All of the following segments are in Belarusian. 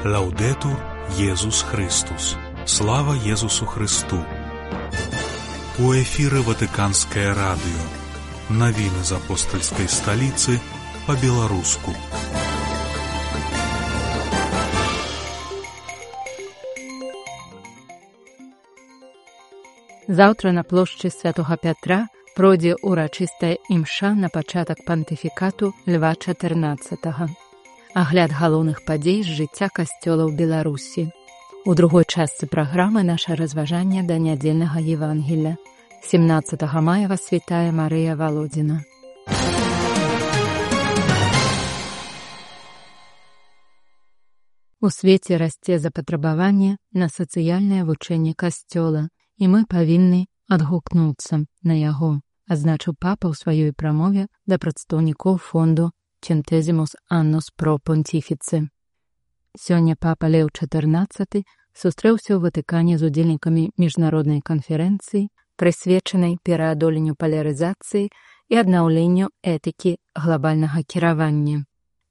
Лаудетур Єсус Христос. Слава Єсусу Христу. У эфире Ватиканское радио. Новины из апостольской столицы по-белорусски. Заўтра на плошчы Святога Пятра пройдзе урачыстая імша на пачатак пантыфікату Льва XIV. Агляд галоўных падзей з жыцця касцёла ў Беларусі. У другой частцы праграмы наша разважанне да нядзельнага Евангелля. 17 мая вас вітае Марыя Валодзіна. У свеце расце запатрабаванне на сацыяльнае вучэнне касцёла, і мы павінны адгукнуцца на яго, адзначыў папа ў сваёй прамове да прадстаўнікоў фонду Centesimus Annus Pro Pontifice. Сёння папа Леў XIV сустрэўся ў Ватыкане з удзельнікамі міжнароднай канферэнцыі, прысвечанай пераадоленню палярызацыі і аднаўленню этыкі глабальнага кіравання.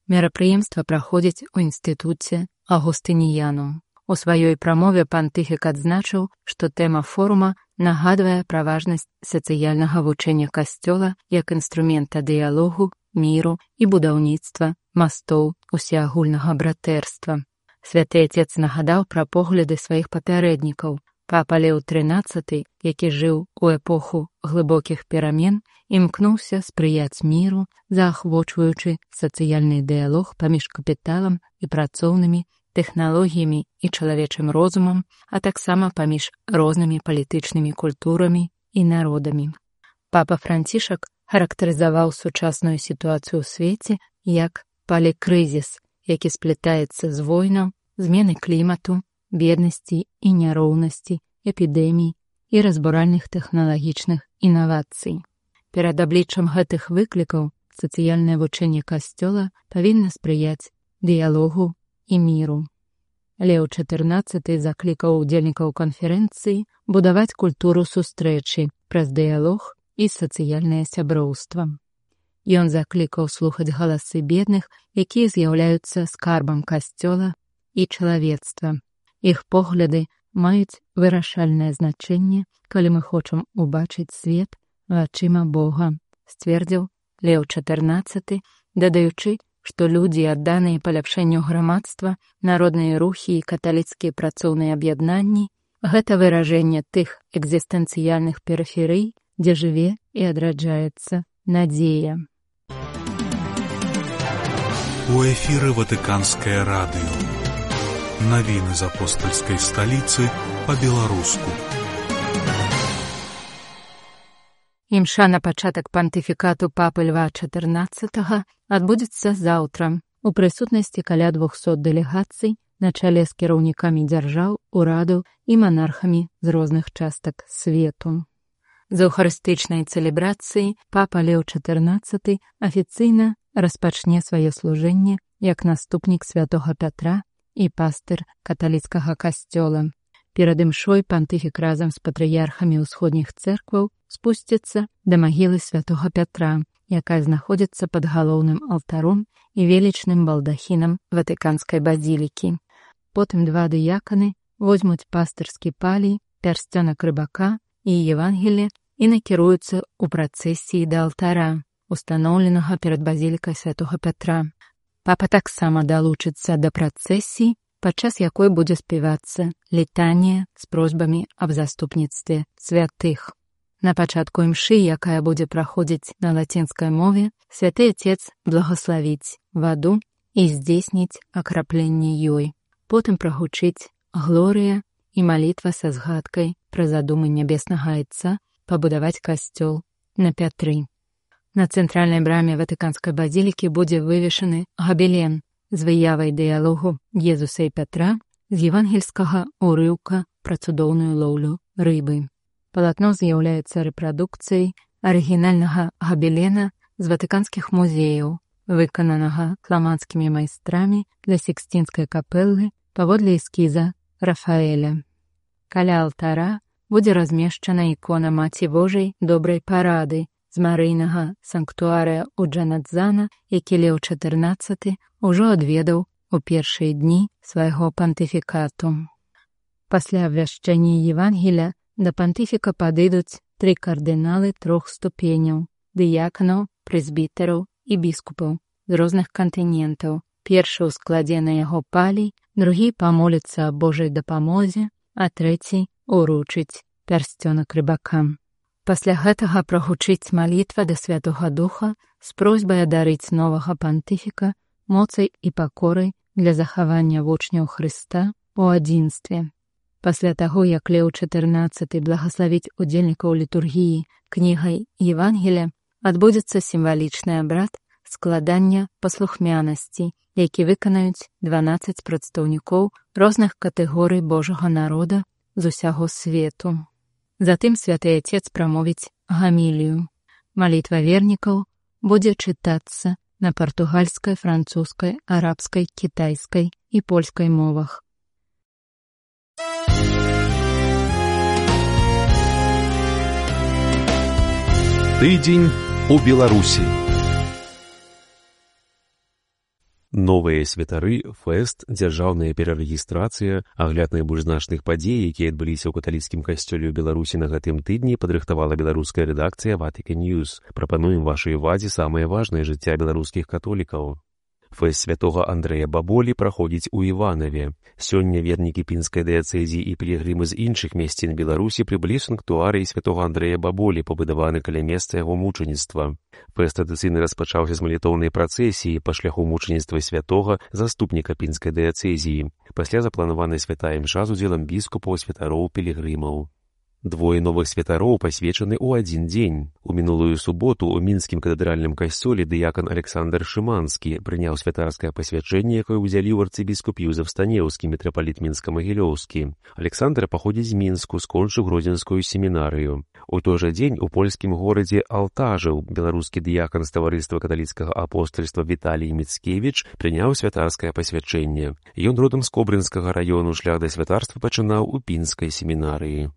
Мерапрыемства праходзіць у інстытуце Агустыніянум. У сваёй прамове пантыфік адзначыў, што тэма форума нагадвае пра важнасць сацыяльнага вучэння касцёла як інструмента дыялогу, міру і будаўніцтва мастоў усеагульнага братэрства. Святы Отец нагадаў пра погляды сваіх папярэднікаў. Папа Леў XIII, які жыў у эпоху глыбокіх перамен, імкнуўся спрыяць міру, заахвочваючы сацыяльны дыялог паміж капіталам і працоўнымі тэхналогіямі і чалавечым розумам, а таксама паміж рознымі палітычнымі культурамі і народамі. Папа Францішак характарызаваў сучасную сітуацыю ў свеце як палікрызіс, які сплятаецца з войнаў, змены клімату, беднасці і няроўнасці, эпідэмій і разбуральных тэхналагічных інавацый. Перад абліччам гэтых выклікаў сацыяльнае вучэнне касцёла павінна спрыяць дыялогу і міру. Леў XIV заклікаў удзельнікаў канферэнцыі будаваць культуру сустрэчы праз дыялог і сацыяльнае сяброўства. Ён заклікаў слухаць галасы бедных, якія з'яўляюцца скарбам касцёла і чалавецтва. Іх погляды маюць вырашальнае значэнне, калі мы хочам убачыць свет вачыма Бога, сцвердзіў Леў XIV, дадаючы, што людзі, адданыя паляпшэнню грамадства, народныя рухі і каталіцкія працоўныя аб'яднанні — гэта выражэнне тых экзістэнцыяльных перыферый, дзе жыве і адраджаецца надзея. У эфире Ватиканское радио. Новины из апостольской столицы по-белорусски. Імша на пачатак пантыфікату папы Льва XIV адбудзецца заўтра у прысутнасці каля 200 дэлегацый на чале з кіраўнікамі дзяржаў, урадаў і манархамі з розных частак свету. З эўхарыстычнай цэлебрацыі папа Леў XIV афіцыйна распачне сваё служэнне як наступнік святога Пятра і пастыр каталіцкага касцёла. Перад імшой пантыфік разам з патрыярхамі ўсходніх цэркваў спусціцца да магілы святога Пятра, якая знаходзіцца пад галоўным алтаром і велічным балдахінам Ватыканскай базілікі. Потым два дыяканы возьмуць пастырскі палій, пярсцёнак рыбака і Евангелле і накіруюцца ў працэсіі да алтара, устаноўленага перад базілікай святога Пятра. Папа таксама далучыцца да працэсіі, падчас якой будзе спявацца літанія з просьбамі аб заступніцтве святых. На пачатку імшы, якая будзе праходзіць на лацінскай мове, святы Отец благословіць ваду і здзейсніць акрапленне ёй. Потым прагучыць глорыя і малітва са згадкай пра задумы нябеснага Айца пабудаваць касцёл на Пятры. На цэнтральнай браме Ватыканскай базілікі будзе вывешаны габелен з выявай дыялогу Езуса і Пятра з евангельскага ўрыўка пра цудоўную лоўлю рыбы. Палатно з'яўляецца рэпрадукцыяй арыгінальнага габелена з ватыканскіх музеяў, выкананага фламандскімі майстрамі для Сікстінскай капэлы паводле эскіза Рафаэля. Каля алтара будзе размешчана ікона Маці Божай добрай парады з марыйнага санктуарыя ў Джанадзана, які Леў XIV ўжо адведаў у першыя дні свайго пантыфікату. Пасля абвяшчэння Евангелія да пантыфіка падыдуць 3 кардыналы 3 ступеняў – дыяканаў, прэзбітэраў і біскупаў з розных кантынентаў. Першы ў складзе на яго палій, другі памоліцца аб Божай дапамозе, а трэці уручыць пярсцёнак рыбакам. Пасля гэтага прагучыць малітва да Святога Духа з просьбай адарыць новага пантыфіка моцай і пакорай для захавання вучняў Хрыста у адзінстве. Пасля таго, як Леў XIV благаславіць удзельнікаў літургіі кнігай Евангелія, адбудзецца сімвалічны абрад складання паслухмянасці, які выканаюць 12 прадстаўнікоў розных катэгорый Божага народа з усяго свету. Затым Святы Отец прамовіць гамілію. Малітва вернікаў будзе чытацца на партугальскай, французскай, арабскай, кітайскай і польскай мовах. Тыдзень у Беларусі. Новыя святары, фэст, дзяржаўная перарэгістрацыя, агляд найбольш значных падзей, якія адбыліся ў каталіцкім касцёле ў Беларусі на гэтым тыдні, падрыхтавала беларуская рэдакцыя Vatican News. Прапануем вашай увазе самае важнае жыцця беларускіх католікаў. Фэст святога Андрэя Баболі праходзіць у Іванаве. Сёння вернікі пінскай дыяцэзіі і пілігрымы з іншых мясцін Беларусі прыбылі ў санктуарыі святога Андрэя Баболі, пабудаваны каля месца яго мучаніцтва. Фэст традыцыйна распачаўся з малітоўнай працэсіі па шляху мучаніцтва святога заступніка пінскай дыяцэзіі. Пасля запланавана святая імша з удзелам біскупаў, святароў, пілігрымаў. Двое новых святароў пасвечаны ў адзін дзень. У мінулую суботу ў мінскім катэдральным касцёле дыякан Александр Шыманскі прыняў святарскае пасвячэнне, якое ўдзяліў арцыбіскуп Юзеф Станеўскі, мітрапаліт мінска-магілёўскі. Александр паходзіць з Мінску, скончыў гродзенскую семінарыю. У той жа дзень у польскім горадзе Алтажыў беларускі дыякан з таварыства каталіцкага апостальства Віталій Міцкевіч прыняў святарскае пасвячэнне. Ён родам з Кобрынскага раёну, шлях да святарства пачынаў у пінскай семінарыі.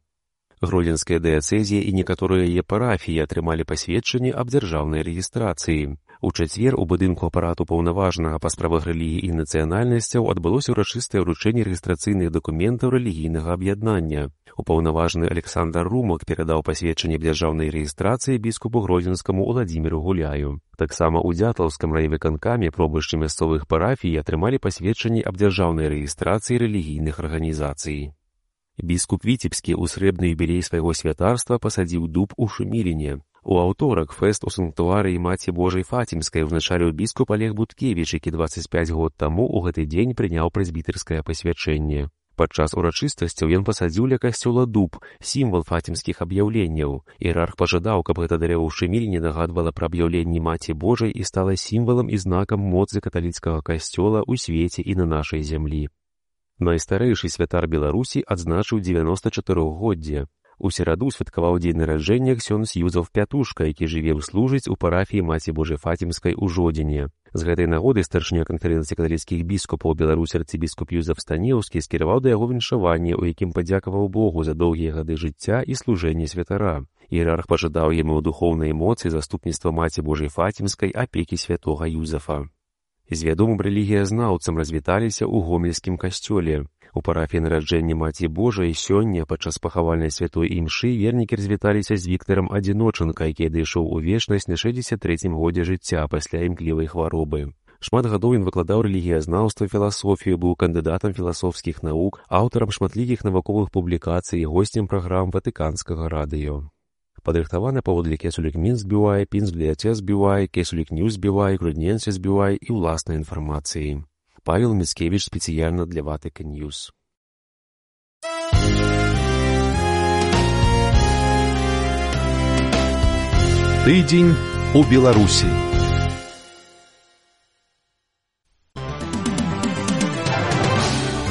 Гродзенская дыяцэзія і некаторыя яе парафіі атрымалі пасведчанне аб дзяржаўнай рэгістрацыі. У чацвер у будынку апарату паўнаважнага па справах рэлігіі і нацыянальнасцяў адбылося ўрачыстае ўручэнне рэгістрацыйных дакументаў рэлігійнага аб'яднання. Упаўнаважаны Александр Румак перадаў пасведчанне аб дзяржаўнай рэгістрацыі біскупу гродзенскаму Уладзіміру Гуляю. Таксама ў Дзятлаўскім райвыканкаме пробышчы мясцовых парафій атрымалі пасведчанне аб дзяржаўнай рэгістрацыі рэлігійных арганізацый. Біскуп Віцебскі ў срэбны юбілей свайго святарства пасадзіў дуб у Шуміліне. У аўторак фэст у санктуарыі Маці Божай Фатімскай узначаліў біскуп Олег Буткевіч, які 25 год таму ў гэты дзень прыняў прэзбітэрскае пасвячэнне. Падчас урачыстасцяў ён пасадзіў ля касцёла дуб, сімвал фатімскіх аб'яўленняў. Іерарх пажадаў, каб гэта дрэва ў Шуміліне нагадвала пра аб'яўленні Маці Божай і стала сімвалам і знакам моцы каталіцкага касцёла ў свеце і на нашай зямлі. Найстарэйшы святар Беларусі адзначыў 94-годдзе. У сераду святкаваў дзень нараджэння ксёндз Юзеф Пятушка, які жыве ў служыць у парафіі Маці Божай Фатімскай у Жодзіне. З гэтай нагоды старшыня канферэнцыі каталіцкіх біскупаў Беларусі арцыбіскуп Юзеф Станеўскі скіраваў да яго віншаванне, у якім падзякаваў Богу за доўгія гады жыцця і служэнне святара. Іерарх пажадаў яму духоўнай моцы, заступніцтва Маці Божай Фатімскай, апекі святога Юзефа. З вядомым рэлігіязнаўцам развіталіся ў гомельскім касцёле. У парафіі нараджэння Маці Божай сёння падчас пахавальнай святой імшы вернікі развіталіся з Віктарам Адзіночанка, які адышоў у вечнасць на 63-м годзе жыцця пасля імклівай хваробы. Шмат гадоў ён выкладаў рэлігіязнаўства, філасофію, быў кандыдатам філасофскіх навук, аўтарам шматлікіх навуковых публікацый і госцем праграм Ватыканскага радыё. Падрыхтавана паводле Кесулік Мінск BY, Пінск Дыяцез BY, Кесулік Ньюс BY, Грудненсіс BY і ўласнай інфармацыі. Павел Міцкевіч спецыяльна для Vatican News. Тыдзень у Беларусі.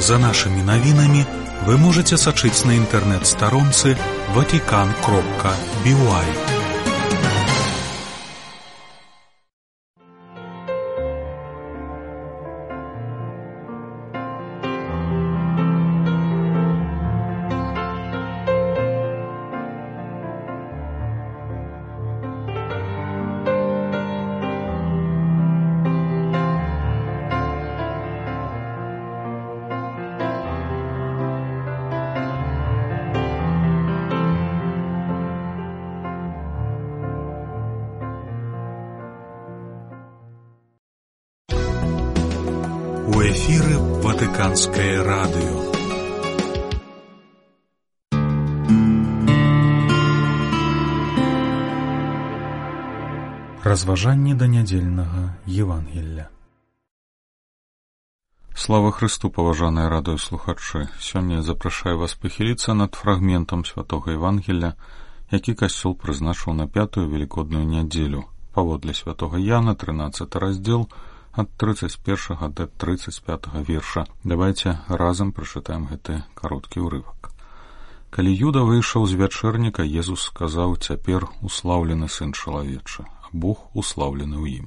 За нашими навінамі вы можете сачыць на інтэрнэт-старонцы vatican.by. У эфіры Ватыканскае радыё. Разважанні да нядзельнага Евангелля. Слава Христу, паважаныя радыёслухачы! Сёння я запрашаю вас пахіліцца над фрагментам святога Евангелля, які касцёл прызначыў на 5-ю велікодную нядзелю, паводле святога Яна, 13 раздзел, ад 31 да 35 верша. Давайте разам прачытаем гэты кароткі ўрывак. Калі Юда выйшаў з вячэрніка, Езус сказаў: «Цяпер услаўлены Сын чалавечы, а Бог услаўлены ў ім.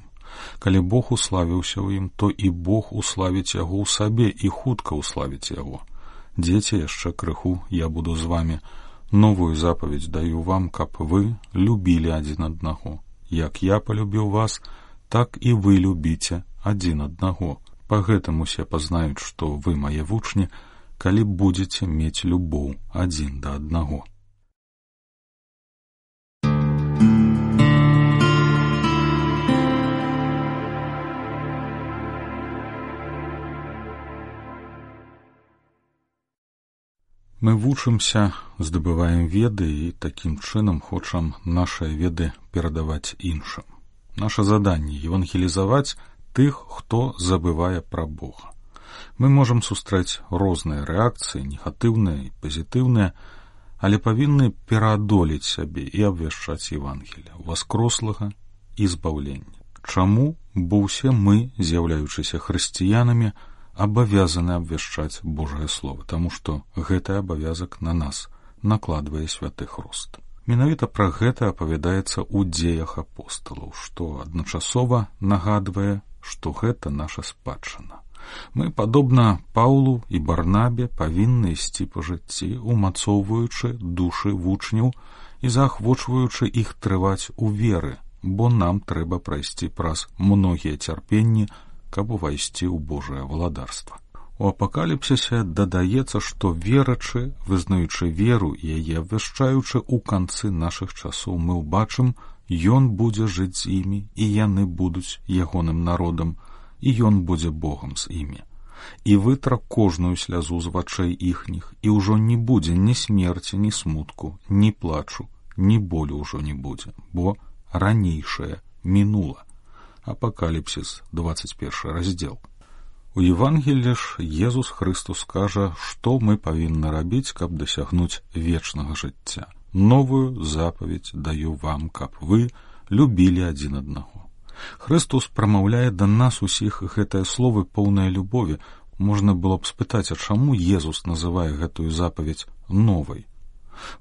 Калі Бог уславіўся ў ім, то і Бог уславіць яго ў сабе і хутка уславіць яго. Дзеці, яшчэ крыху я буду з вамі. Новую запаведь даю вам, каб вы любілі адзін аднаго. Як я палюбіў вас, так і вы любіце адзін аднаго. Па гэтым усе пазнаюць, што вы мае вучні, калі будзеце мець любоў адзін да аднаго». Мы вучымся, здабываем веды і такім чынам хочам нашыя веды перадаваць іншым. Наша заданне — евангелізаваць тых, хто забывае пра Бога. Мы можам сустрэць розныя рэакцыі, негатыўныя і пазітыўныя, але павінны пераадолець сябе і абвяшчаць Евангелля, уваскрослага і збаўлення. Чаму? Бо ўсе мы, з'яўляючыся хрысціянамі, абавязаны абвяшчаць Божае Слово, таму што гэты абавязак на нас накладвае святы Хрост. Менавіта пра гэта апавядаецца ў дзеях апосталаў, што адначасова нагадвае, што гэта наша спадчына. Мы, падобна Паўлу і Барнабе, павінны ісці па жыцці, умацоўваючы душы вучняў і заахвочваючы іх трываць у веры, бо нам трэба прайсці праз многія цярпенні, каб увайсці ў Божае валадарства. У апакаліпсісе дадаецца, што верачы, вызнаючы веру і яе абвяшчаючы ў канцы нашых часоў, мы ўбачым, ён будзе жыць з імі, і яны будуць ягоным народам, і ён будзе Богам з імі. І вытра кожную слязу з вачэй іхніх, і ўжо не будзе ні смерці, ні смутку, ні плачу, ні болю ўжо не будзе, бо ранейшае мінула. Апакаліпсіс, 21 раздзел. У Евангеллі ж Езус Христус кажа, што мы павінны рабіць, каб дасягнуць вечнага жыцця. Новую запаведь даю вам, каб вы любілі адзін аднаго. Христус прамаўляе да нас усіх гэтыя словы поўныя любові. Можна было б спытаць, а чаму Езус называе гэтую запаведь новай?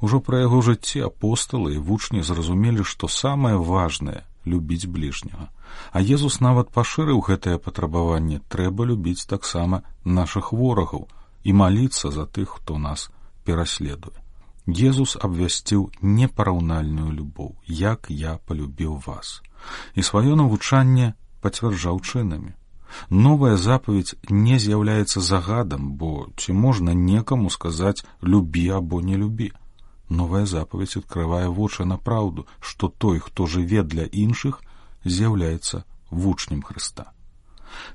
Ужо пра яго жыцці апосталы і вучні зразумелі, што самае важнае — любіць бліжняга. А Езус нават пашырыў гэтае патрабаванне: трэба любіць таксама нашых ворагаў і маліцца за тых, хто нас пераследуе. Езус абвясціў непараўнальную любоў, як я палюбіў вас. І сваё навучанне пацвярджаў чынамі. Новая запаведь не з'яўляецца загадам, бо ці можна некаму сказаць «любі» або «не любі». Новая запаведь адкрывае вочы на праўду, што той, хто жыве для іншых, з'яўляецца вучнем Хрыста.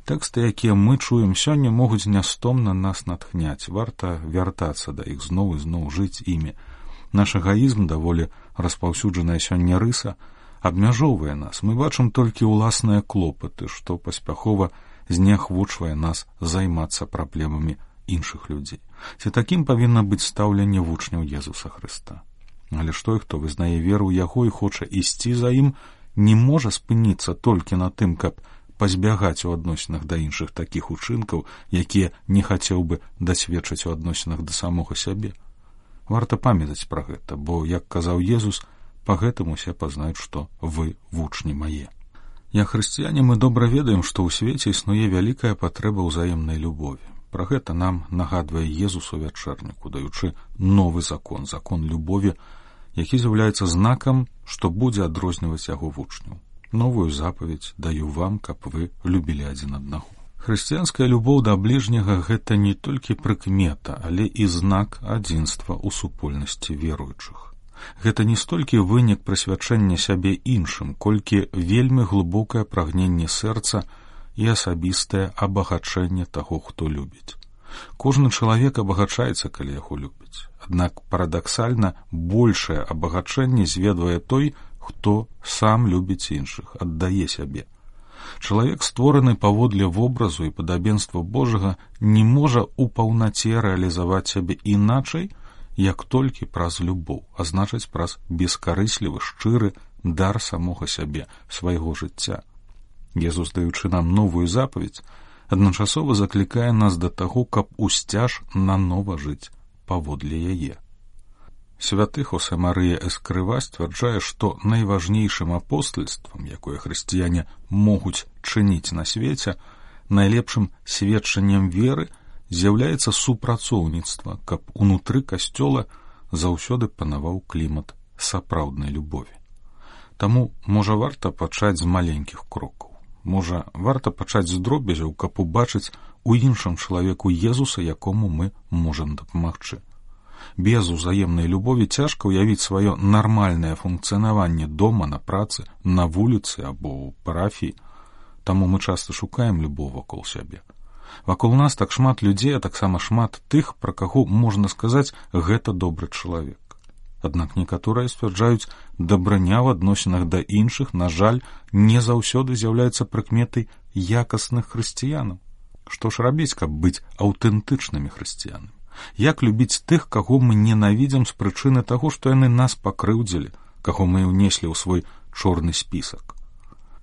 Тэксты, якія мы чуем сёння, могуць нястомна нас натхняць. Варта вяртацца да іх зноў і зноў, жыць імі. Наш эгаізм, даволі распаўсюджаная сёння рыса, абмяжоўвае нас. Мы бачым толькі ўласныя клопаты, што паспяхова зняхвочвае нас займацца праблемамі іншых людзей. Ці такім павінна быць стаўленне вучняў Езуса Хрыста. Але ж той, хто вызнае веру ў яго і хоча ісці за ім, не можа спыніцца толькі на тым, каб пазбягаць у адносінах да іншых такіх учынкаў, якія не хацеў бы дасведчыць у адносінах да самога сябе. Варта памятаць пра гэта, бо, як казаў Езус, па гэтым усе пазнаюць, што вы вучні мае. Як хрысціяне мы добра ведаем, што ў свеце існуе вялікая патрэба ўзаемнай любові. Пра гэта нам нагадвае Езус у вячэрніку, даючы новы закон, закон любові, які з'яўляецца знакам, што будзе адрозніваць яго вучняў. Новую запаведь даю вам, каб вы любілі адзін аднаго. Хрысціянская любоў да бліжняга — гэта не толькі прыкмета, але і знак адзінства ў супольнасці веруючых. Гэта не столькі вынік прысвячэння сябе іншым, колькі вельмі глыбокае прагненне сэрца і асабістае абагачэнне таго, хто любіць. Кожны чалавек абагачаецца, калі яго любіць. Аднак парадаксальна большае абагачэнне зведвае той, хто сам любіць іншых, аддае сябе. Чалавек, створаны паводле вобразу і падабенства Божага, не можа ў паўнаце рэалізаваць сябе іначай, як толькі праз любоў, а значыць праз бескарыслівы, шчыры дар самога сябе, свайго жыцця. Езус, даючы нам новую запаведь, адначасова заклікае нас да таго, каб усцяж нанова жыць паводле яе. Святы Хосе Марыя Эскрыва сцвярджае, што найважнейшым апостальствам, якое хрысціяне могуць чыніць на свеце, найлепшым сведчаннем веры з'яўляецца супрацоўніцтва, каб унутры касцёла заўсёды панаваў клімат сапраўднай любові. Таму, можа, варта пачаць з маленькіх крокаў. Можа, варта пачаць з дробязяў, каб убачыць у іншым чалавеку Езуса, якому мы можам дапамагчы. Без узаемнай любові цяжка ўявіць сваё нармальнае функцыянаванне дома, на працы, на вуліцы або ў парафіі. Таму мы часта шукаем любоў вакол сябе. Вакол нас так шмат людзей, а таксама шмат тых, пра каго можна сказаць, гэта добры чалавек. Аднак некаторыя сцвярджаюць, дабраня ў адносінах да іншых, на жаль, не заўсёды з'яўляецца прыкметай якасных хрысціянаў. Што ж рабіць, каб быць аўтэнтычнымі хрысціянамі? Як любіць тых, каго мы ненавідзім з прычыны таго, што яны нас пакрыўдзілі, каго мы ўнеслі ў свой чорны спісак?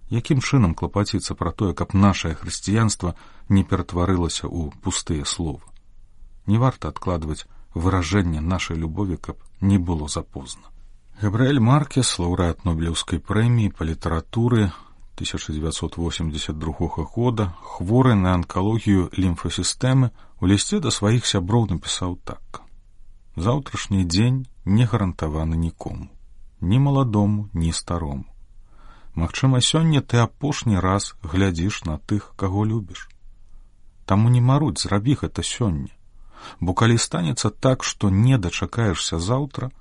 Якім чынам клапаціцца пра тое, каб нашае хрысціянства не ператварылася ў пустыя словы? Не варта адкладваць выражэнне нашай любові, каб не было запозна. Габрыэль Маркес, лаўрэат Нобелеўскай прэміі па літаратуры 1982 года, хворы на анкалогію лімфасістэмы, у лісце да сваіх сяброў напісаў так: «Заўтрашні дзень не гарантаваны нікому, ні маладому, ні старому. Магчыма, сёння ты апошні раз глядзіш на тых, каго любіш. Таму не марудзь, зрабі гэта сёння, бо калі станецца так, што не дачакаешся заўтра,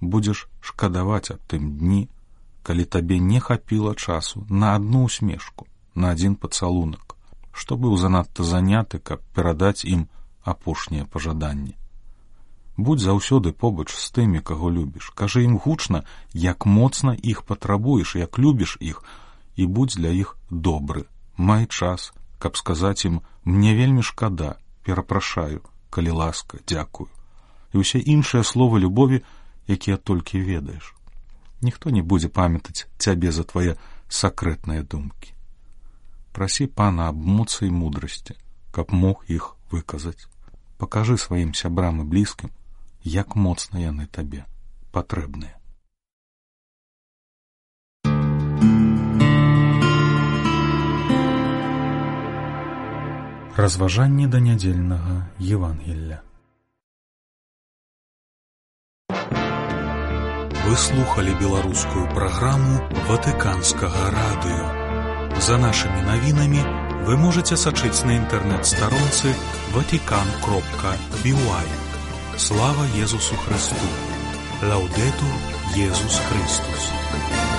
будзеш шкадаваць аб тым дні, калі табе не хапіла часу на адну усмешку, на адзін пацалунак, што быў занадта заняты, каб перадаць ім апошнія пажаданні. Будзь заўсёды побач з тымі, каго любіш, кажы ім гучна, як моцна іх патрабуеш, як любіш іх, і будзь для іх добры. Май час, каб сказаць ім: мне вельмі шкада, перапрашаю, калі ласка, дзякую. І ўсе іншыя словы любові, якія толькі ведаеш. Ніхто не будзе памятаць цябе за твае сакрэтныя думкі. Прасі Пана аб моцы і мудрасці, каб мог іх выказаць. Пакажы сваім сябрам і блізкім, як моцна яны табе патрэбныя. Разважанні да нядзельнага Евангелля. Вы слухали беларускую праграму Ватыканскага радыё. За нашымі навінамі вы можаце сачыць на інтэрнэт-старонцы vatican.by. Слава Езусу Христу! Лаўдэтур Езус Христус!